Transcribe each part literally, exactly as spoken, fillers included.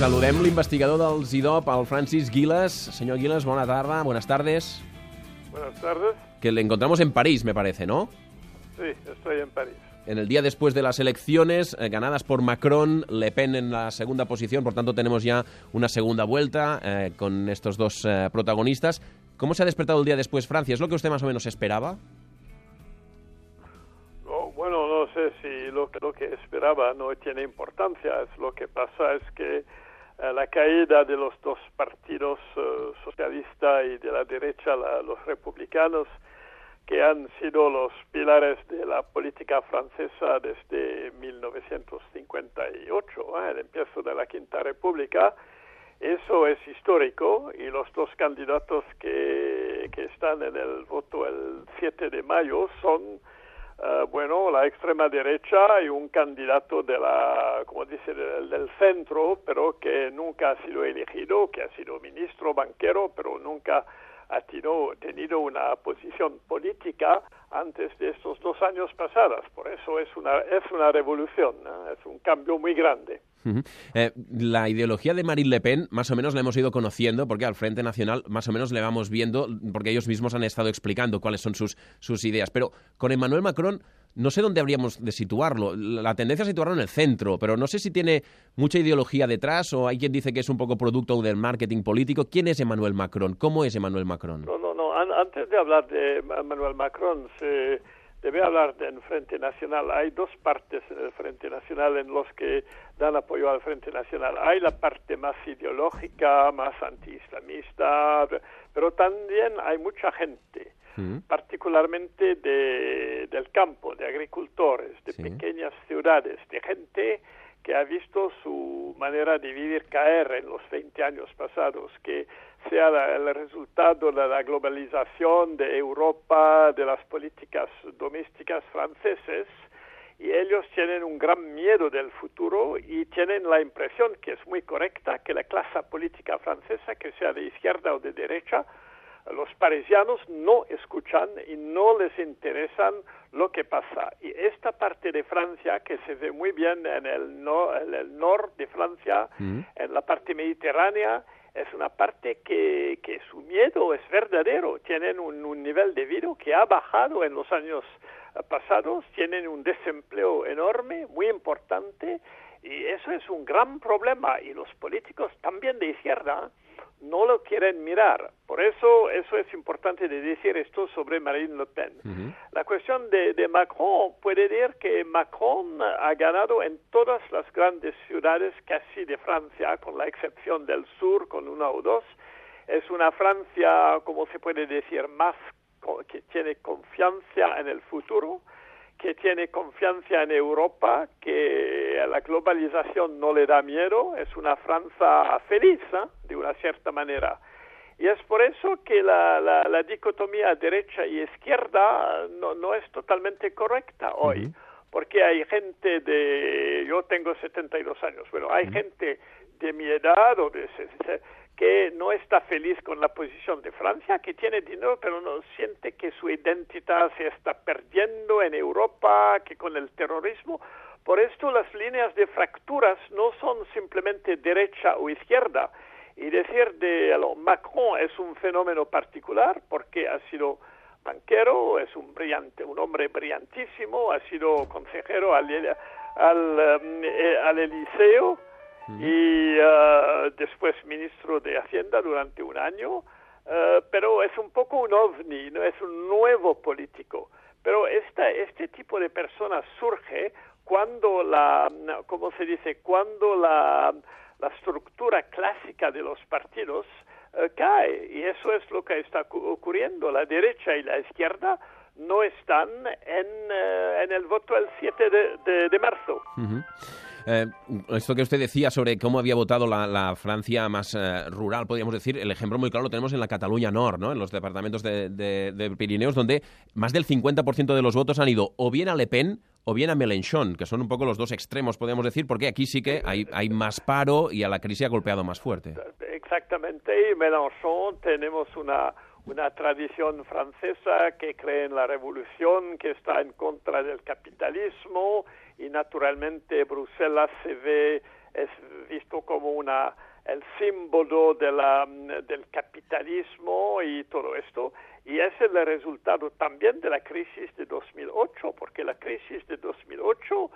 Saludem l'investigador del ZIDOP, el Francis Guilas. Señor Guilas, buena tarde, buenas tardes. Buenas tardes. Que le encontramos en París, me parece, ¿no? Sí, estoy en París. En el día después de las elecciones, eh, ganadas por Macron, Le Pen en la segunda posición, por tanto tenemos ya una segunda vuelta eh, con estos dos eh, protagonistas. ¿Cómo se ha despertado el día después Francia? ¿Es lo que usted más o menos esperaba? No, bueno, no sé si lo, lo que esperaba no tiene importancia. Es lo que pasa es que eh, la caída de los dos partidos eh, socialista y de la derecha, la, los republicanos, que han sido los pilares de la política francesa desde mil novecientos cincuenta y ocho, ¿eh? El empiezo de la Quinta República. Eso es histórico y los dos candidatos que, que están en el voto el siete de mayo son, uh, bueno, la extrema derecha y un candidato de la, como dice, del, del centro, pero que nunca ha sido elegido, que ha sido ministro, banquero, pero nunca ha tenido, tenido una posición política antes de estos dos años pasados. Por eso es una, es una revolución, ¿no? Es un cambio muy grande. Uh-huh. Eh, la ideología de Marine Le Pen más o menos la hemos ido conociendo porque al Frente Nacional más o menos le vamos viendo porque ellos mismos han estado explicando cuáles son sus, sus ideas. Pero con Emmanuel Macron no sé dónde habríamos de situarlo. La tendencia es situarlo en el centro, pero no sé si tiene mucha ideología detrás o hay quien dice que es un poco producto del marketing político. ¿Quién es Emmanuel Macron? ¿Cómo es Emmanuel Macron? No, no, no. Antes de hablar de Emmanuel Macron, se debe hablar del Frente Nacional. Hay dos partes en el Frente Nacional en los que dan apoyo al Frente Nacional. Hay la parte más ideológica, más antiislamista, pero también hay mucha gente, ¿Mm? particularmente de, del campo, de agricultores, de sí. pequeñas ciudades, de gente que ha visto su manera de vivir caer en los veinte años pasados, que sea la, el resultado de la globalización de Europa, de las políticas domésticas franceses, y ellos tienen un gran miedo del futuro y tienen la impresión, que es muy correcta, que la clase política francesa, que sea de izquierda o de derecha, los parisianos no escuchan y no les interesan lo que pasa. Y esta parte de Francia, que se ve muy bien en el, no, en el norte de Francia, mm. en la parte mediterránea, es una parte que, que su miedo es verdadero. Tienen un, un nivel de vida que ha bajado en los años pasados, tienen un desempleo enorme, muy importante, y eso es un gran problema. Y los políticos también de izquierda no lo quieren mirar. Por eso, eso es importante de decir esto sobre Marine Le Pen. Uh-huh. La cuestión de, de Macron puede decir que Macron ha ganado en todas las grandes ciudades casi de Francia, con la excepción del sur, con una o dos. Es una Francia, como se puede decir, más que tiene confianza en el futuro, que tiene confianza en Europa, que a la globalización no le da miedo, es una Francia feliz, ¿eh? de una cierta manera. Y es por eso que la, la, la dicotomía derecha y izquierda no, no es totalmente correcta hoy, uh-huh. porque hay gente de... Yo tengo setenta y dos años, bueno, hay uh-huh. gente de mi edad o de... que no está feliz con la posición de Francia, que tiene dinero, pero no siente que su identidad se está perdiendo en Europa, que con el terrorismo. Por esto las líneas de fracturas no son simplemente derecha o izquierda. Y decir de alors, Macron es un fenómeno particular porque ha sido banquero, es un brillante, un hombre brillantísimo, ha sido consejero al, al, um, al Eliseo, y uh, después ministro de Hacienda durante un año, uh, pero es un poco un ovni, no es un nuevo político. Pero esta, este tipo de personas surge cuando la, ¿cómo se dice? Cuando la, la estructura clásica de los partidos uh, cae, y eso es lo que está ocurriendo. La derecha y la izquierda no están en, uh, en el voto el siete de, de, de marzo. Uh-huh. Eh, esto que usted decía sobre cómo había votado la, la Francia más eh, rural, podríamos decir, el ejemplo muy claro lo tenemos en la Cataluña Nord, ¿no? En los departamentos de, de, de Pirineos, donde más del cincuenta por ciento de los votos han ido o bien a Le Pen o bien a Mélenchon, que son un poco los dos extremos, podríamos decir, porque aquí sí que hay, hay más paro y a la crisis ha golpeado más fuerte. Exactamente, y Mélenchon tenemos una... una tradición francesa que cree en la revolución, que está en contra del capitalismo, y naturalmente Bruselas se ve es visto como una el símbolo de la, del capitalismo y todo esto, y es el resultado también de la crisis de dos mil ocho, porque la crisis de dos mil ocho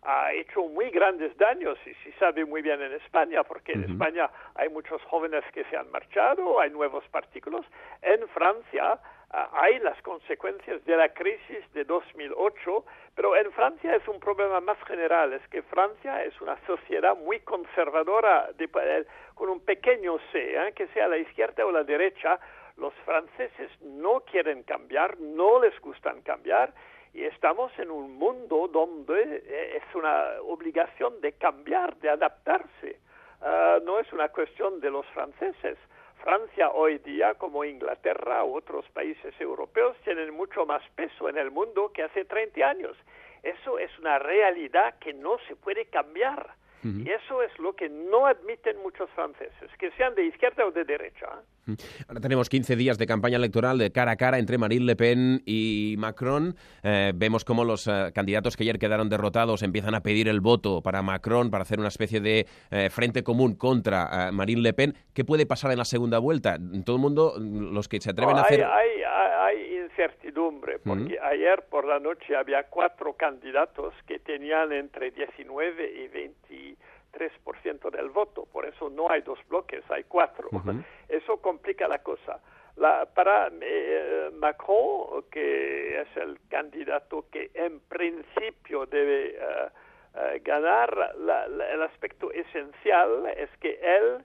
ha hecho muy grandes daños, y se sabe muy bien en España, porque en uh-huh. España hay muchos jóvenes que se han marchado, hay nuevos partículos. En Francia uh, hay las consecuencias de la crisis de dos mil ocho, pero en Francia es un problema más general, es que Francia es una sociedad muy conservadora, de, eh, con un pequeño C, ¿eh? que sea la izquierda o la derecha. Los franceses no quieren cambiar, no les gustan cambiar, y estamos en un mundo donde es una obligación de cambiar, de adaptarse. Uh, no es una cuestión de los franceses. Francia hoy día, como Inglaterra u otros países europeos, tienen mucho más peso en el mundo que hace treinta años. Eso es una realidad que no se puede cambiar. Uh-huh. Y eso es lo que no admiten muchos franceses, que sean de izquierda o de derecha. ¿eh? Ahora tenemos quince días de campaña electoral de cara a cara entre Marine Le Pen y Macron. Eh, vemos cómo los eh, candidatos que ayer quedaron derrotados empiezan a pedir el voto para Macron, para hacer una especie de eh, frente común contra eh, Marine Le Pen. ¿Qué puede pasar en la segunda vuelta? Todo el mundo, los que se atreven no, a hacer... Hay, hay, hay incertidumbre, porque uh-huh. ayer por la noche había cuatro candidatos que tenían entre diecinueve y veintitrés por ciento del voto. Por eso no hay dos bloques, hay cuatro. Uh-huh. Eso complica la cosa. La, para eh, Macron, que es el candidato que en principio debe uh, uh, ganar, la, la, el aspecto esencial es que él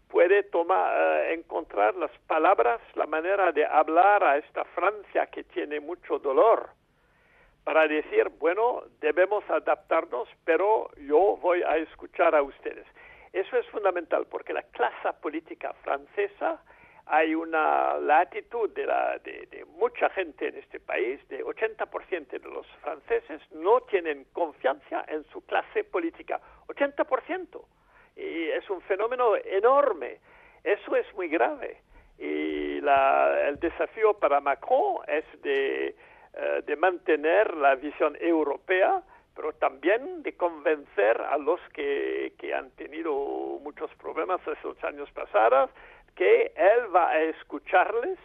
puede tomar, uh, encontrar las palabras, la manera de hablar a esta Francia que tiene mucho dolor, para decir, bueno, debemos adaptarnos, pero yo voy a escuchar a ustedes. Eso es fundamental, porque la clase política francesa, hay una latitud de, la, de, de mucha gente en este país, de ochenta por ciento de los franceses no tienen confianza en su clase política. ochenta por ciento. Y es un fenómeno enorme. Eso es muy grave. Y la, el desafío para Macron es de... de mantener la visión europea, pero también de convencer a los que, que han tenido muchos problemas estos años pasados, que él va a escucharles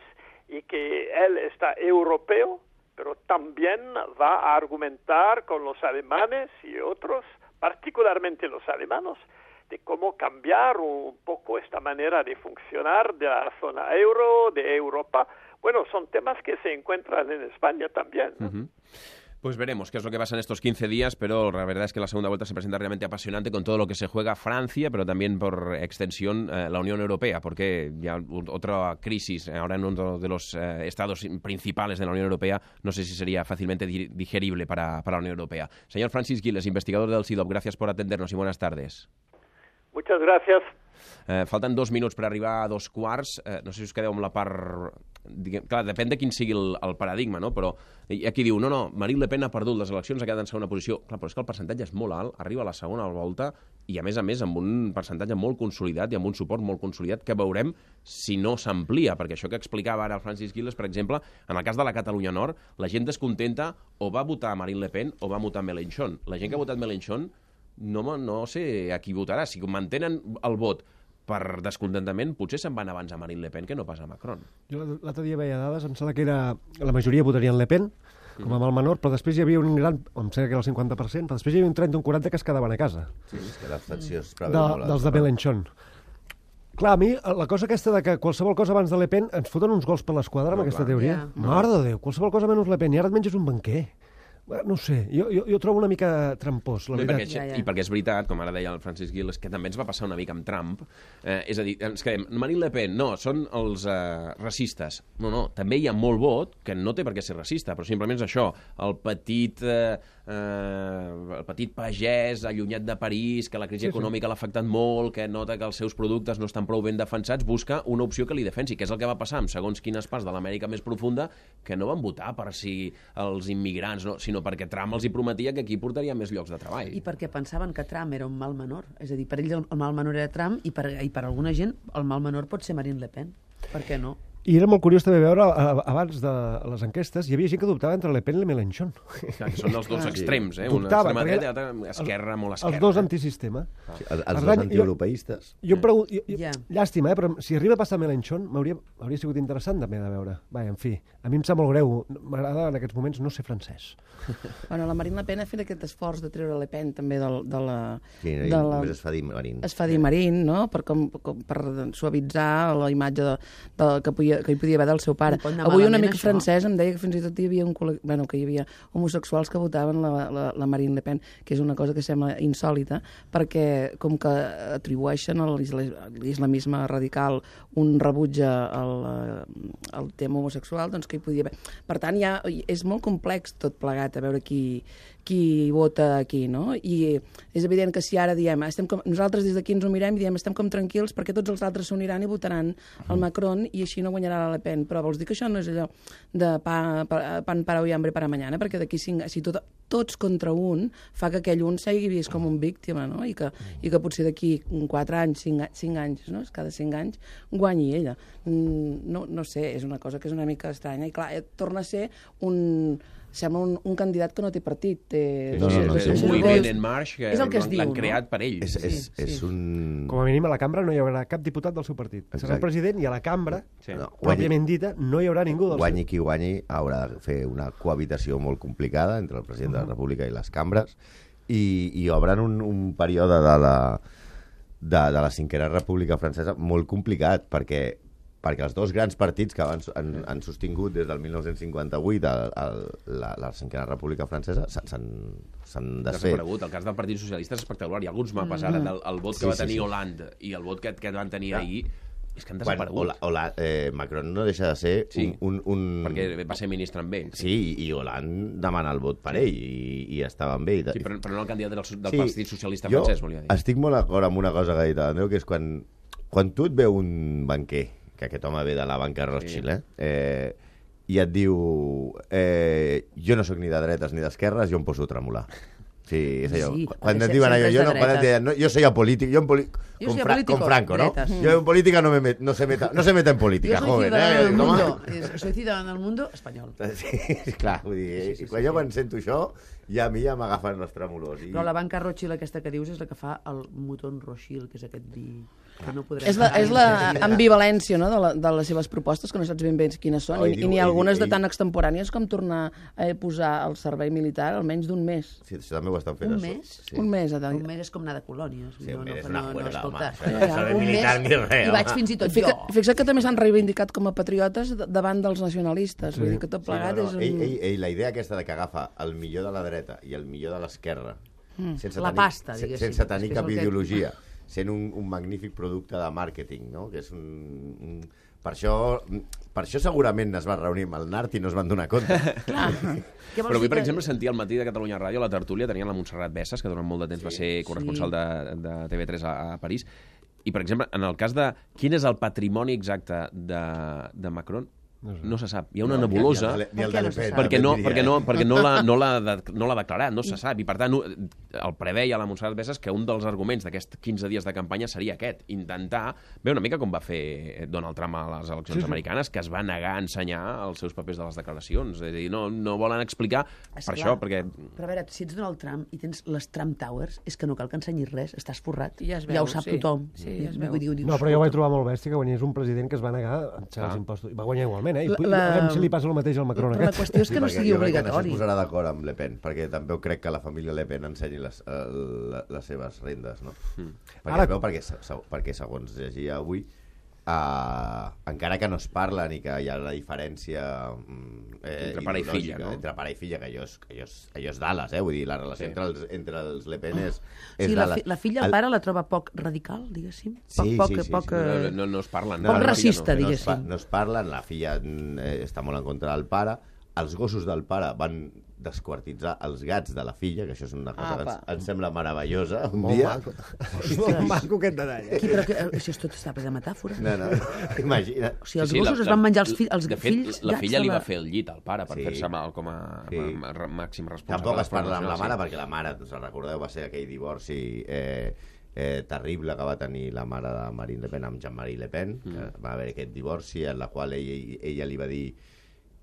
y que él está europeo, pero también va a argumentar con los alemanes y otros, particularmente los alemanes, de cómo cambiar un poco esta manera de funcionar de la zona euro, de Europa. Bueno, son temas que se encuentran en España también, ¿no? Uh-huh. Pues veremos qué es lo que pasa en estos quince días, pero la verdad es que la segunda vuelta se presenta realmente apasionante con todo lo que se juega Francia, pero también por extensión eh, la Unión Europea, porque ya otra crisis ahora en uno de los eh, estados principales de la Unión Europea, no sé si sería fácilmente digerible para, para la Unión Europea. Señor Francis Giles, investigador del C I D O P, gracias por atendernos y buenas tardes. Muchas gracias. Eh, falten dos minuts per arribar a dos quarts. Eh, no sé si us quedeu amb la part... Diguem, clar, depèn de quin sigui el, el paradigma, no? Però aquí diu, no, no, Marine Le Pen ha perdut les eleccions, ha quedat en segona posició. Clar, però és que el percentatge és molt alt, arriba a la segona volta i, a més a més, amb un percentatge molt consolidat i amb un suport molt consolidat que veurem si no s'amplia, perquè això que explicava ara el Francis Giles, per exemple, en el cas de la Catalunya Nord, la gent descontenta o va votar Marine Le Pen o va votar Mélenchon. La gent que ha votat Mélenchon no, no sé a qui votarà. Si mantenen el vot per descontentament, potser se'n van abans a Marine Le Pen que no pas a Macron. Jo l'altre dia veia dades, em sembla que era la majoria votarien Le Pen, com a mal menor, però després hi havia un gran, em sembla que era el cinquanta per cent, però després hi havia un trenta o un quaranta que es quedaven a casa. Sí, és que l'abstenció és de, dels de Mélenchon. Clar, a mi, la cosa aquesta de que qualsevol cosa abans de Le Pen ens foten uns gols per l'esquadra amb no, aquesta clar. teoria. Yeah. Mare de Déu, qualsevol cosa menys Le Pen, i ara et menges un banquer. No sé, jo, jo, jo trobo una mica trampós, la no, veritat. I perquè, ja, ja. I perquè és veritat, com ara deia el Francis Giles, que també ens va passar una mica amb Trump. Eh, és a dir, ens quedem, Marine Le Pen, no, són els eh, racistes. No, no, també hi ha molt vot que no té per què ser racista, però simplement és això, el petit, eh, eh, el petit pagès allunyat de París, que la crisi sí, econòmica sí. l'ha afectat molt, que nota que els seus productes no estan prou ben defensats, busca una opció que li defensi, que és el que va passar amb segons quines parts de l'Amèrica més profunda, que no van votar per si els immigrants, no, sinó perquè Trump els hi prometia que aquí portaria més llocs de treball. I perquè pensaven que Trump era un mal menor. És a dir, per ells el mal menor era Trump i per, i per alguna gent el mal menor pot ser Marine Le Pen. Per què no? I era molt curiós també veure, abans de les enquestes, hi havia gent que dubtava entre Le Pen i Mélenchon. Clar, que són els dos extrems, eh? Una Dubtava, extrema perquè dreta i l'altra esquerra, molt esquerra. Els dos antisistema. Sí, els els Per dos tant, antieuropeistes. Jo, jo em pregunto, jo, jo, Ja. llàstima, eh, però si arriba a passar Mélenchon, m'hauria hauria sigut interessant també de veure. Vaja, en fi, a mi em sap molt greu, m'agrada en aquests moments no ser francès. Bueno, la Marine Le Pen ha fet aquest esforç de treure Le Pen també de, de la... Sí, de la... només es fa dir Marín. Es fa dir Marín, no? Per, com, com, per suavitzar la imatge de, de, que, podia, que hi podia haver del seu pare. No pot anar Avui un malament, amic això. francès em deia que fins i tot hi havia, un, col·le- bueno, que hi havia homosexuals que votaven la, la, la Marine Le Pen, que és una cosa que sembla insòlita, perquè com que atribueixen a l'isla- l'islamisme radical un rebuig al, al tema homosexual, doncs que hi podia haver. Per tant, ja és molt complex tot plegat, a veure qui, qui vota aquí, no? I és evident que si ara diem, estem com, nosaltres des d'aquí ens ho mirem i diem estem com tranquils perquè tots els altres s'uniran i votaran el Macron i així no guanyarà la Le Pen. Però vols dir que això no és allò de pa, pa, pan para hoy, hambre para mañana? Perquè d'aquí cinc, si tot, tots contra un fa que aquell un sigui vist com un víctima, no? I que, i que potser d'aquí quatre anys, cinc, cinc anys, no? Cada cinc anys guanyi ella. No, no sé, és una cosa que és una mica estranya. I clar, torna a ser un... sembla un, un candidat que no té partit. Té, No, no, no, és sí, un sí. moviment en marx que És el que es diu, l'han no? creat per ell. És, és, Sí, és sí. un... Com a mínim a la cambra no hi haurà cap diputat del seu partit. Serà Exacte. el president i a la cambra, Sí. No, pròpiament dita, no hi haurà ningú del guanyi qui guanyi haurà de fer una cohabitació molt complicada entre el president de la República i les cambres i, i obren un, un període de la, de, de la cinquena República Francesa molt complicat perquè perquè els dos grans partits que han, han, han sostingut des del dinou cinquanta-vuit el, el, la, la cinquena República Francesa s'han s'han desfet. Desaparegut. El cas del Partit Socialista és espectacular. Hi ha alguns mapes ara del el vot que Sí, va sí, tenir sí. Hollande i el vot que, que van tenir Clar. ahir és que han Quan desaparegut. Hola, Hola, eh, Macron no deixa de ser Sí. un, un, un... Perquè va ser ministre amb ell. Sí, i Hollande demana el vot per ell i, i estava amb ell. Sí, però, però no el candidat del, del Sí, Partit Socialista jo francès, volia dir. estic molt d'acord amb una cosa que ha dit l'Andreu, que és quan, quan tu et veu un banquer, que aquest home ve de la banca Rothschild, eh? eh i et diu eh, jo no sóc ni de dretes ni d'esquerres, jo em poso a tremolar. Sí, és allò. Sí, quan se- et diuen allò, sempre és jo, de no, quan et dretes. diuen, no, jo soy apolític, jo en poli... Jo con, soy Fra apolítico, con Franco, ¿no? dretes. Yo en política no, me met, no, se meta, no se meta en política, Yo soy joven. ciudadano Eh? del Com a- mundo. Eh, Soy ciudadano del mundo español. Sí, clar, vull dir, sí, sí, sí, quan sí, jo quan sento això, ja a mi ja m'agafen els trèmolos. I... Però la banca Rothschild aquesta que dius és la que fa el Mouton Rothschild, que és aquest vi que no podrem... És la, és la pagar. ambivalència, no?, de, la, de les seves propostes, que no saps ben bé quines són, Oh, i, i i diu- n'hi ha ell- algunes de ell- tan extemporànies com tornar a posar el servei militar almenys d'un mes. Sí, això també ho estan fent. Un això. mes? Sí. Un mes. A Un mes és com anar de colònies. Sí, un mes és no, una no, no, juerga, escolta. home, això no és saber Un militar mes, ni res, I vaig home. fins i tot Fica, jo. fixa't que també s'han reivindicat com a patriotes d- davant dels nacionalistes. Sí. Vull dir que tot Sí, plegat no, no. és un... Ell, ell, ell, la idea aquesta de que agafa el millor de la dreta i el millor de l'esquerra mm. sense La tenir, pasta, se- diguéssim, sense tenir és que és cap el que- ideologia, sent un, un magnífic producte de màrqueting, no? Que és un, un... Per això, per això segurament es va reunir amb el Nart i no es van donar compte. Clar. Què vols Però avui, dir per que- exemple, sentia al matí de Catalunya Ràdio, a la tertúlia, tenien la Montserrat Bessas, que durant molt de temps sí, va ser corresponsal sí. de, de T V tres a, a París. I, per exemple, en el cas de quin és el patrimoni exacte de, de Macron, no se sap. Hi ha una No, nebulosa... ni el de- ni el de Le Pen, perquè no, també perquè diria, no, eh? perquè no l'ha no l'ha de- no l'ha declarat, no se sap, i per tant el preveia la Montserrat Bessas que un dels arguments d'aquests quinze dies de campanya seria aquest, intentar, bé, una mica com va fer Donald Trump a les eleccions Sí, sí. americanes, que es va negar a ensenyar els seus papers de les declaracions, és a dir, no, no volen explicar per Esclar. això, perquè... Però a veure, si ets Donald Trump i tens les Trump Towers, és que no cal que ensenyis res, estàs forrat. Ja es veu, ja ho sap sí. tothom. Sí, ja es veu. Vull dir, dius, No, però jo ho vaig escolta, trobar molt bèstia que guanyés un president que es va negar a enxar els impostos. I va guanyar igualment, eh? I La- la... la- veurem si li passa el mateix al Macron Però la aquest. qüestió és que no perquè sigui jo crec que no obligatori. es posarà d'acord amb Le Pen, perquè també crec que la família Le Pen ensenyi les, el, les seves rendes, no? Mm. Perquè, Ara- Ara... perquè, se- se- perquè segons llegia avui, uh, encara que no es parlen i que hi ha la diferència mm, eh, Entre pare i ideològica, filla, no? entre pare i filla, que allò és, que allò és, allò és Dallas, eh? Vull dir, la relació Sí. sí. entre, els, entre els Le Pen és, és Sí, la, Dallas. fi, la filla, el pare, la troba poc radical, diguéssim. Poc, Sí, poc, sí, sí, poc, sí. eh, No, no, no es parlen. Poc la filla racista, no. no es, pa, diguéssim. no es parlen, la filla mm, eh, està molt en contra del pare, els gossos del pare van desquartitzar els gats de la filla, que això és una cosa que ens, Apa. ens sembla meravellosa un Molt dia. maco. Molt maco aquest detall. Aquí, però que, eh, això és tot està ple de metàfora. No, no, imagina. O sigui, els Sí, sí, gossos la- es van menjar els, la- fi, els de fet, fills la gats filla de li la... va fer el llit al pare per Sí. fer-se mal com a, Sí. com a, a màxim responsable. Tampoc de es les parla amb la promocions, mare, perquè la mare, us en recordeu, va ser aquell divorci eh, eh, terrible que va tenir la mare de Marine Le Pen amb Jean-Marie Le Pen, mm. que va haver aquest divorci en la qual ella, ella li va dir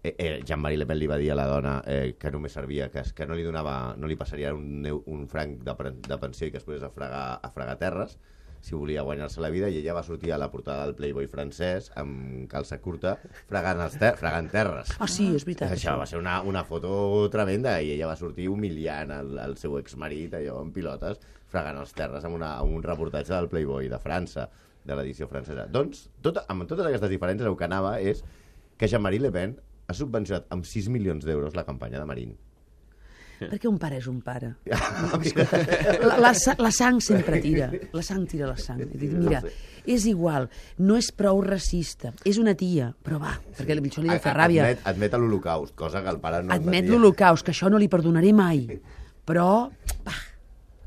eh, eh, Jean-Marie Le Pen li va dir a la dona eh, que només servia, que, que no li donava, no li passaria un, un franc de, de pensió i que es pogués a fregar, a fregar terres si volia guanyar-se la vida, i ella va sortir a la portada del Playboy francès amb calça curta fregant, els ter fregant terres. Ah, sí, és veritat. Això va ser una, una foto tremenda, i ella va sortir humiliant el, el seu exmarit, allò, en pilotes, fregant els terres amb, una, amb un reportatge del Playboy de França, de l'edició francesa. Doncs, tot, amb totes aquestes diferències, el que anava és que Jean-Marie Le Pen ha subvencionat amb sis milions d'euros la campanya de Marine. Perquè un pare és un pare. La, la, la sang sempre tira. La sang tira la sang. Dic, mira, és igual, no és prou racista, és una tia, però va, perquè això li ha de fer ràbia. Admet, admet l'Holocaust, cosa que el pare no admet. Admet l'Holocaust, que això no li perdonaré mai. Però, va,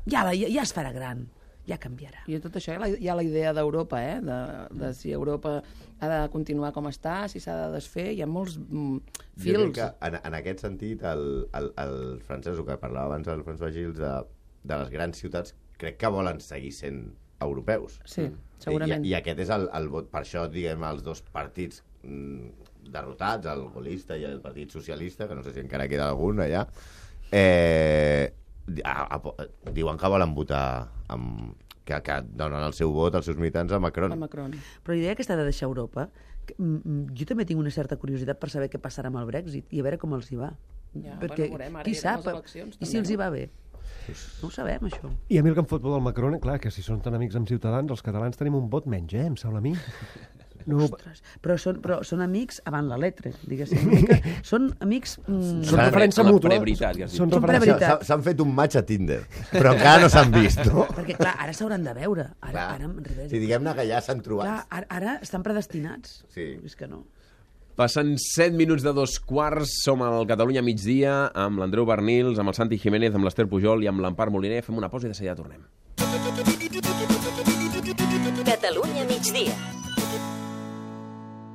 ja, ja, ja es farà gran. Ja canviarà. I tot això hi ha la idea d'Europa, eh? de, de si Europa ha de continuar com està, si s'ha de desfer, hi ha molts mm, fils. Jo crec que en, en aquest sentit el, el, el francès, el que parlava abans el François Gilles, de, de les grans ciutats, crec que volen seguir sent europeus. Sí, segurament. I, i aquest és el, el vot, per això diguem els dos partits mm, derrotats, el golista i el Partit Socialista, que no sé si encara queda algun allà, eh, a, a, diuen que volen votar amb, que, que donen el seu vot als seus militants a Macron. A Macron. Però la idea aquesta de deixar Europa, que, mm, jo també tinc una certa curiositat per saber què passarà amb el Brexit i a veure com els hi va. Ja, perquè bueno, veurem, qui sap, eleccions, i si els hi va bé? No ho sabem, això. I a mi el que em fot por del Macron, clar, que si són tan amics amb Ciutadans, els catalans tenim un vot menys, eh, em sembla a mi. No... Ostres, però són, però són amics avant la letra, diguéssim. Mica, són amics... Mm, són referència mútua. Són preveritat. S'han fet un match a Tinder, però encara no s'han vist, no? Perquè, clar, ara s'hauran de veure. Ara, ara, revés. Si diguem-ne que ja s'han trobat. Clar, ara, ara estan predestinats. Sí. És que no. Passen set minuts de dos quarts, som al Catalunya migdia, amb l'Andreu Bernils, amb el Santi Jiménez, amb l'Ester Pujol i amb l'Empar Moliner. Fem una pausa i de seguida tornem. Catalunya migdia.